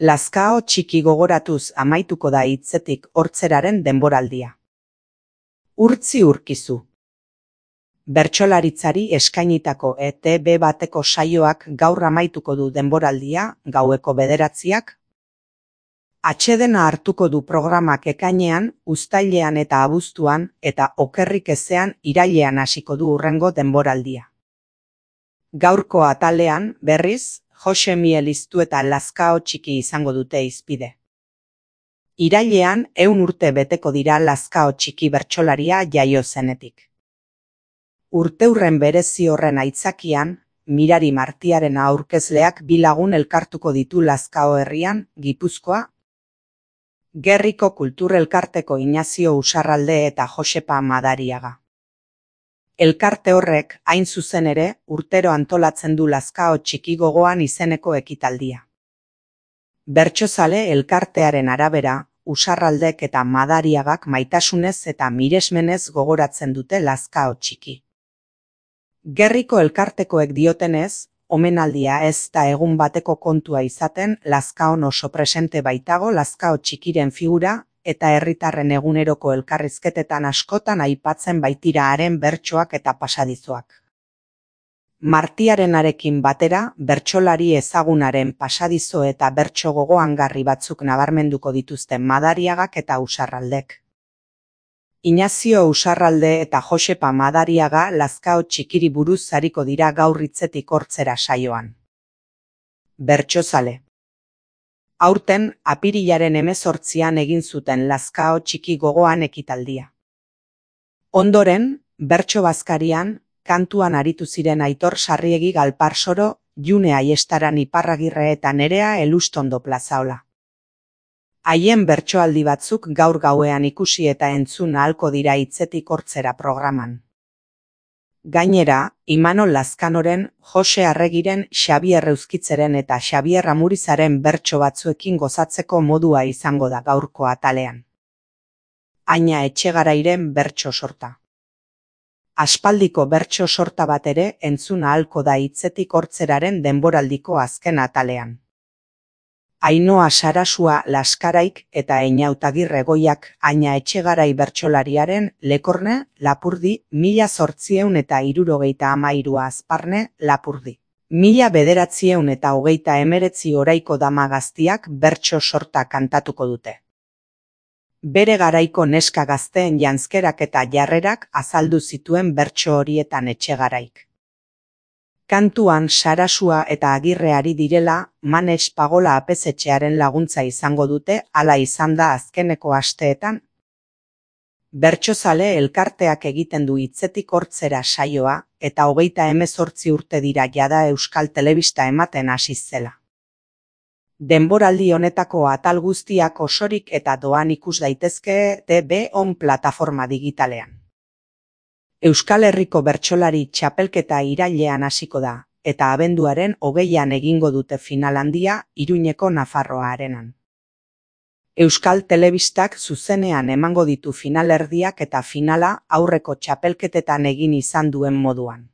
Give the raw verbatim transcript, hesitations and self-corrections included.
Lazkao txiki gogoratuz amaituko da hitzetik hortzeraren denboraldia. Urtzi urkizu. Bertsolaritzari eskainitako E T B bateko saioak gaur amaituko du denboraldia, gaueko bederatziak. Atsedena hartuko du programak ekainean, uztailean eta abuztuan, eta okerrik ezean irailean hasiko du hurrengo denboraldia. Gaurko atalean, berriz, Jose Miel Iztu eta Lazkao txiki izango dute hizpide. Irailean ehun urte beteko dira Lazkao txiki bertsolaria jaio zenetik. Urteurren berezi horren aitzakian, Mirari Martiaren aurkezleak bi lagun elkartuko ditu Lazkao herrian, Gipuzkoa. Gerriko Kultur Elkarteko Inazio Usarralde eta Josepa Madariaga. Elkarte horrek, hain zuzen ere, urtero antolatzen du Lazkao txiki gogoan izeneko ekitaldia. Bertsozale elkartearen arabera, Usarraldek eta Madariagak maitasunez eta miresmenez gogoratzen dute Lazkao txiki. Gerriko elkartekoek diotenez, omenaldia ez da egun bateko kontua izaten, Lazkaon oso presente baitago Lazkao txikiren figura, eta herritarren eguneroko elkarrizketetan askotan aipatzen baitira haren bertsoak eta pasadizoak. Martiarenarekin batera, bertsolari ezagunaren pasadizo eta bertso gogoangarri batzuk nabarmenduko dituzten Madariagak eta Usarraldek. Inazio Usarralde eta Josepa Madariaga Lazkao txikiri buruz ariko dira gaur hitzetik hortzera saioan. Bertsozale. Aurten, apirilaren hemezortzian egin zuten Lazkao txiki gogoan ekitaldia. Ondoren, bertso bazkarian, kantuan aritu ziren Aitor Sarriegi Galparsoro, June Aiestaran Iparragirre eta Nerea Elustondo Plazaola. Haien bertsoaldi batzuk gaur gauean ikusi eta entzun ahalko dira hitzetik hortzera programan. Gainera, Imanol Lazkanoren, Jose Arregiren, Xabier Euskitzeren eta Xabier Amurizaren bertso batzuekin gozatzeko modua izango da gaurko atalean. Aina Etxegarairen bertso sorta. Aspaldiko bertso sorta bat ere entzun ahalko da hitzetik hortzeraren denboraldiko azken atalean. Ainoa Sarasua Laskaraik eta Einautagirre Goiak Aina Etxegarai bertsolariaren Lekorne, Lapurdi, mila zortzieun eta hirurogeita hamairua Azparne, Lapurdi. Mila bederatzieun eta hogeita emeretzi oraiko dama gaztiak bertso sorta kantatuko dute. Bere garaiko neska gazteen janzkerak eta jarrerak azaldu zituen bertso horietan Etxegaraik. Kantuan Sarasua eta Agirreari direla, Manes Pagola apezetxearen laguntza izango dute, hala izan da azkeneko asteetan. Bertsozale elkarteak egiten du hitzetik hortzera saioa, eta hogeita hemezortzi urte dira jada Euskal Telebista ematen hasi zela. Denboraldi honetako atal guztiak osorik eta doan ikus daitezke T V On plataforma digitalean. Euskal Herriko bertsolari txapelketa irailean hasiko da, eta abenduaren hogeian egingo dute final handia Iruñeko Nafarroa Arenan. Euskal Telebistak zuzenean emango ditu finalerdiak eta finala aurreko txapelketetan egin izan duen moduan.